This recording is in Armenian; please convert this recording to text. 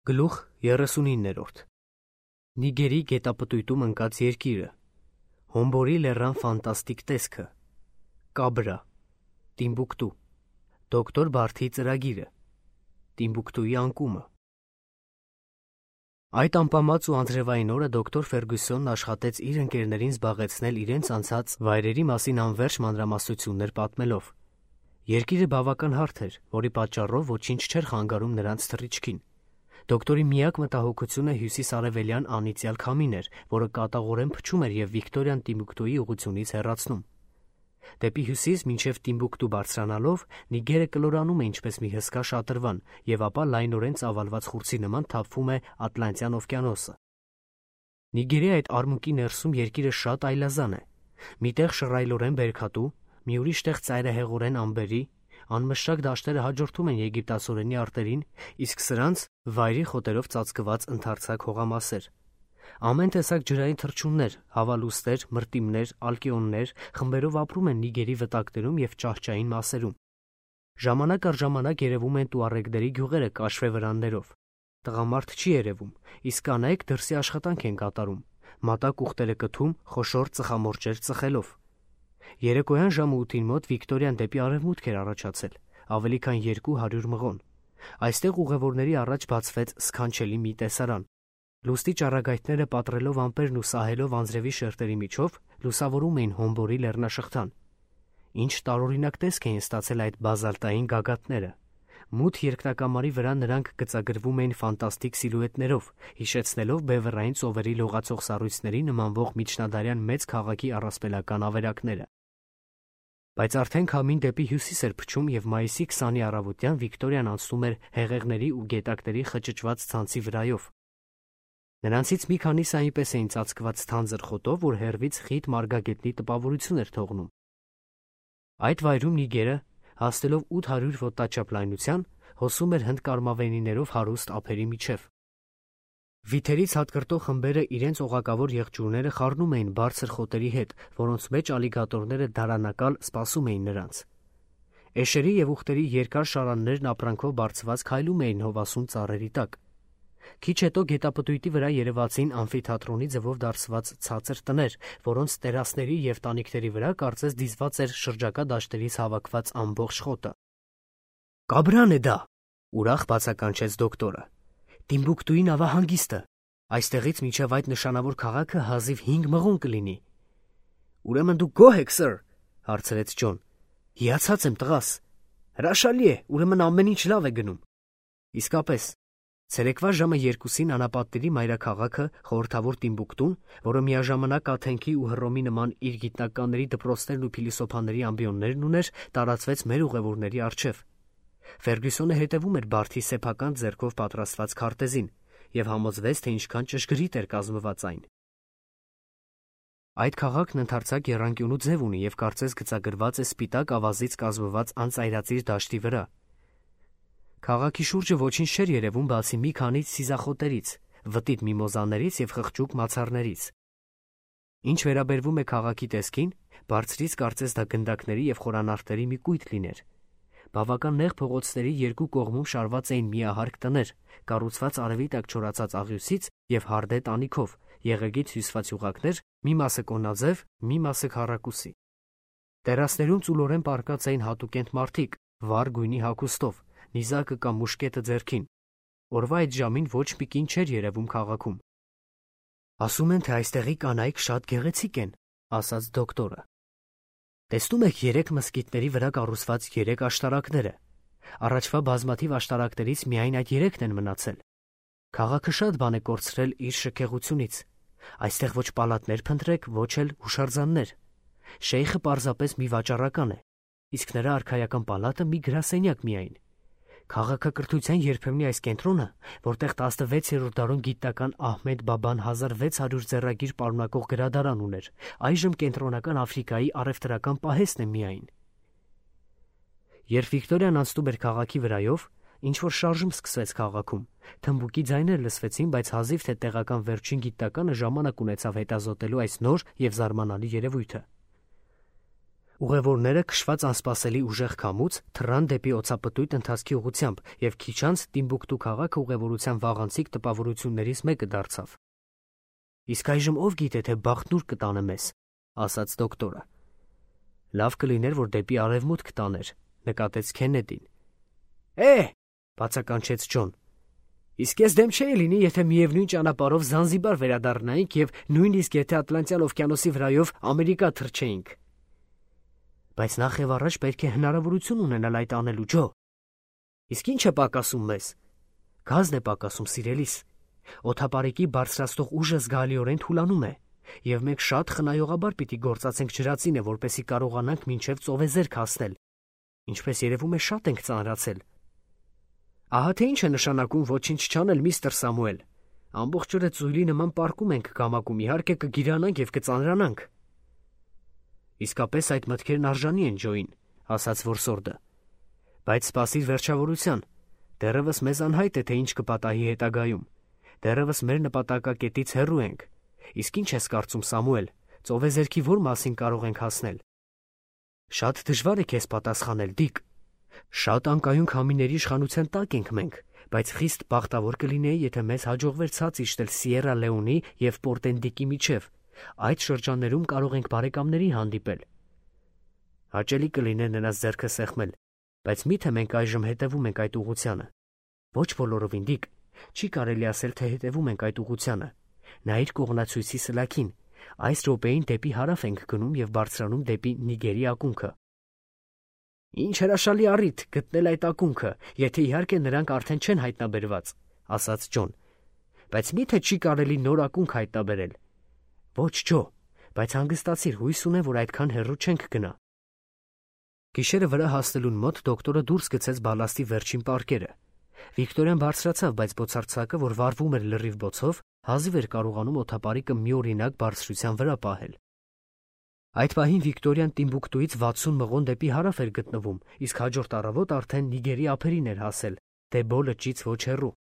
Գլուխ 39-րդ Նիգերի գետապտույտում ընկած երկիրը, Հոմբորի լեռան ֆանտաստիկ տեսքը, Կաբրա, Տիմբուկտու, Դոկտոր Բարթի ծրագիրը, Տիմբուկտուի անկումը։ Այդ անպամած ու անձրևային օրը դոկտոր Ֆերգյուսոնն աշխատեց իր ընկերներին զբաղեցնել իրենց անցած վայրերի մասին անվերջ մանրամասնություններ պատմելով։ Երկիրը բավական հարթ էր, որի պատճառով ոչինչ չէր խանգարում նրանց թռիչքին։ Դոկտորի միակ մտահոգությունը հյուսիս-արևելյան անիծյալ քամին էր, որը կատաղորեն փչում էր և Վիկտորիան Տիմբուկտուի ուղղությունից հեռացնում։ Դեպի հյուսիս մինչև Տիմբուկտու բարձրանալով Նիգերը կլորանում է ինչպես մի հսկա շատրվան և ապա լայնորեն ծավալված խուրձի նման թափվում է Ատլանտյան օվկիանոսը։ Նիգերի այդ արմունկի ներսում երկիրը շատ այլազան է։ Միտեղ շռայլորեն բերքատու, մի ուրիշ տեղ ծայրահեղորեն ամբերի, անմշակ դաշտերը հաջորդում են եգիպտացորենի արտերին, իսկ սրանց վայրի խոտերով ծածկված ընդարձակ հողամասեր։ Ամեն տեսակ ջրային թռչուններ, հավալուստեր, մրտիմներ, ալկեոններ խմբերով ապրում են Նիգերի վտակներում և ճահճային մասերում։ Ժամանակ առ ժամանակ երևում են տուարեգների գյուղերը կաշվե վրաններով։ Տղամարդ չի երևում, իսկ կանայք դրսի աշխատանք են կատարում, մատակ ուղտերը կթում, խոշոր ծխամորճեր ծխելով։ Երեկոյան ժամը 8-ին մոտ Վիկտորիան դեպի արևմուտք էր առաջացել, ավելի քան 200 մղոն։ Այստեղ ուղևորների առաջ բացվեց սքանչելի մի տեսարան։ Լուստի ճառագայթները պատռելով ամպերն ու սահելով անձրևի շերտերի միջով լուսավորում էին Հոմբորի լեռնաշղթան։ Ինչ տարօրինակ տեսք էին ստացել այդ բազալտային գագաթները։ Մութ երկնակամարի վրա նրանք գծագրվում էին ֆանտաստիկ սիլուետներով, հիշեցնելով բևեռային ծովերի լողացող սառույցների նմանվող միջնադարյան մեծ քաղաքի առասպելական ավերակները։ Բայց արդեն քամին դեպի հյուսիս էր փչում և մայիսի 20-ի առավոտյան Վիկտորիան անցնում էր հեղեղների ու գետակների խճճված ցանցի վրայով։ Նրանցից մի քանիսը այնպես էին ծածկված թանձր խոտով, որ հեռվից խիտ մարգագետնի տպավորություն էր թողնում։ Այդ վայրում Նիգերը, հասնելով 800 ոտնաչափ լայնության, հոսում էր հնդկարմավենիներով հարուստ ափերի միջև։ Վիթերից հատկրտող խմբերը իրենց օղակավոր եղջյուրները խառնում էին բարձր խոտերի հետ, որոնց մեջ ալիգատորները դարանակալ սպասում էին նրանց։ Էշերի և ուղտերի երկար շարաններն ապրանքով բարձված քայլում էին հովասուն ծառերի տակ։ Քիչ հետո գետապտույտի վրա երևացին ամֆիթատրոնի ձևով դարձված ցածր տներ, որոնց տերասների և տանիքների վրա կարծես դիզված էր շրջակա դաշտերից հավաքված ամբողջ խոտը։ «Կաբրան է դա», ուրախ բացականչեց դոկտորը։ «Տիմբուկտուի նավահանգիստը։ Այստեղից մինչև այդ նշանավոր քաղաքը հազիվ 5 մղոն կլինի»։ «Ուրեմն դուք գոհ եք, սըր», հարցրեց Ջոն։ «Հիացած եմ, տղաս։ Հրաշալի է, ուրեմն ամեն ինչ լավ է գնում»։ Իսկապես, ցերեկվա ժամը 2-ին անապատների մայրաքաղաքը, խորհրդավոր Տիմբուկտուն, որը միաժամանակ Աթենքի ու Հռոմի նման իր գիտնականների դպրոցներն ու փիլիսոփաների ամբիոններն ուներ, տարածվեց մեր ուղևորների առջև։ Ֆերգյուսոնը հետևում էր Բարթի սեփական ձեռքով պատրաստված քարտեզին և համոզվեց, թե ինչքան ճշգրիտ էր կազմված այն։ Այդ քաղաքն ընդարձակ եռանկյունու ձև ունի և կարծես գծագրված է սպիտակ ավազից կազմված անծայրածիր դաշտի վրա։ Քաղաքի շուրջը ոչինչ չէր երևում բացի մի քանի սիզախոտերից, վտիտ միմոզաներից և խղճուկ մացառներից։ Ինչ վերաբերվում է քաղաքի տեսքին, բարձրից կարծես դա գնդակների և խորանարդերի մի կույտ լիներ։ Բավական նեղ փողոցների երկու կողմում շարված էին միահարկ տներ, կառուցված արևի տակ չորացած աղյուսից և հարդե տանիքով, եղեգից հյուսված յուղակներ, մի մասը կոնաձև, մի մասը քառակուսի։ Տերասներում ծուլորեն պառկած էին հատուկենտ մարդիկ, վառ գույնի հագուստով, նիզակը կամ մուշկետը ձեռքին։ Օրվա այդ ժամին ոչ մի կին չէր երևում քաղաքում։ «Ասում են, թե այստեղի կանայք շատ գեղեցիկ են», ասաց դոկտորը։ «Տեսնում եք 3 մզկիթների վրա կառուցված 3 աշտարակները։ Առաջվա բազմաթիվ աշտարակներից միայն այդ 3-ն են մնացել։ Քաղաքը շատ բան է կորցրել իր շքեղությունից։ Այստեղ ոչ պալատներ փնտրեք, ոչ էլ հուշարձաններ։ Շեյխը պարզապես մի վաճառական է, իսկ նրա արքայական պալատը մի գրասենյակ միայն։ Քաղաքակրթության երբեմնի այս կենտրոնը, որտեղ 16-րդ դարում գիտնական Ահմեդ Բաբան 1600 ձեռագիր պարունակող գրադարան ուներ, այժմ կենտրոնական Աֆրիկայի առևտրական պահեստն է միայն»։ Երբ Վիկտորիան անցնում էր քաղաքի վրայով, ինչ-որ շարժում սկսվեց քաղաքում, թմբուկի ձայներ լսվեցին, բայց հազիվ թե տեղական վերջին գիտնականը ժամանակ ունեցավ հետազոտելու այս նոր և զարմանալի երևույթը։ Ուղևորները քշված անսպասելի ուժեղ քամուց թռան դեպի օծապտույտ ընթացքի ուղղությամբ և քիչ անց Տիմբուկտու քաղաքը ուղևորության վաղանցիկ տպավորություններից մեկը դարձավ։ «Իսկ այժմ ով գիտե, թե բախտն ուր կտանե մեզ», ասաց դոկտորը։ «Լավ կլիներ, որ դեպի արևմուտք տաներ», նկատեց Քեննեդին։ Բացականչեց Ջոն։ «Իսկ ես դեմ չէի լինի, եթե միևնույն ճանապարհով Զանզիբար վերադառնայինք և նույնիսկ եթե Ատլանտյան օվկիանոսի վրայով Ամերիկա թռչեինք։ Բայց նախ և առաջ պետք է հնարավորություն ունենալ այդ անելու, Ջո։ Իսկ ի՞նչ է պակասում մեզ։ Գազն է պակասում, սիրելիս։ Օդապարիկի բարձրացնող ուժը զգալիորեն թուլանում է, և մենք շատ խնայողաբար պիտի գործածենք ջրածինը, որպեսզի կարողանանք մինչև ծովեզերք հասնել, ինչպես երևում է շատ ենք ծանրացել։ Ահա թե ինչ է նշանակում ոչինչ չանել, միստր Սամուել։ Ամբողջ օրը ծույլի նման պառկում ենք գամակում, իհարկե կգիրանանք և կծանրանանք։ Իսկապես այդ մտքերն արժանի են, Ջոին, ասաց որսորդը։ Բայց սպասիր վերջավորության։ Դեռևս մեզ անհայտ է, թե ինչ կպատահի հետագայում։ Դեռևս մեր նպատակակետից հեռու ենք։ Իսկ ինչ ես կարծում, Սամուել, ծովեզերքի ո՞ր մասին կարող ենք հասնել։ Շատ դժվար է քեզ պատասխանել, Դիկ։ Շատ անկայուն քամիների իշխանության տակ ենք մենք, բայց խիստ բախտավոր կլինեի, եթե մեզ հաջողվեր ցած իջնել Սիերա Լեոնի և Պորտենդիկի միջև։ Այդ շրջաններում կարող ենք բարեկամների հանդիպել։ Հաճելի կլիներ նրանց ձեռքը սեղմել, բայց մի՞թե մենք այժմ հետևում ենք այդ ուղղությանը։ Ոչ բոլորովին, Դիկ, չի կարելի ասել, թե հետևում ենք այդ ուղղությանը։ Նայիր կողմնացույցի սլաքին, այս րոպեին դեպի հարավ ենք գնում և բարձրանում դեպի Նիգերի ակունքը։ Ինչ հրաշալի առիթ գտնել այդ ակունքը, եթե իհարկե նրանք արդեն չեն հայտնաբերված, ասաց Ջոն։ Բայց մի՞թե չի կարելի նոր ակունք հայտնաբերել։ Ոչ, Ջո, բայց հանգստացիր, հույս ունեմ, որ այդքան հեռու չենք գնա։ Գիշերը վրա հասնելուն մոտ դոկտորը դուրս գցեց բալաստի վերջին պարկերը։ Վիկտորիան բարձրացավ, բայց բոցարձակը, որ վառվում էր լրիվ բոցով, հազիվ էր կարողանում օդապարիկը միօրինակ բարձրության վրա պահել։ Այդ պահին Վիկտորիան Տիմբուկտուից 60 մղոն դեպի հարավ էր գտնվում, իսկ հաջորդ առավոտ արդեն Նիգերի ափերին էր հասել, դե Բո լճից ոչ հեռու։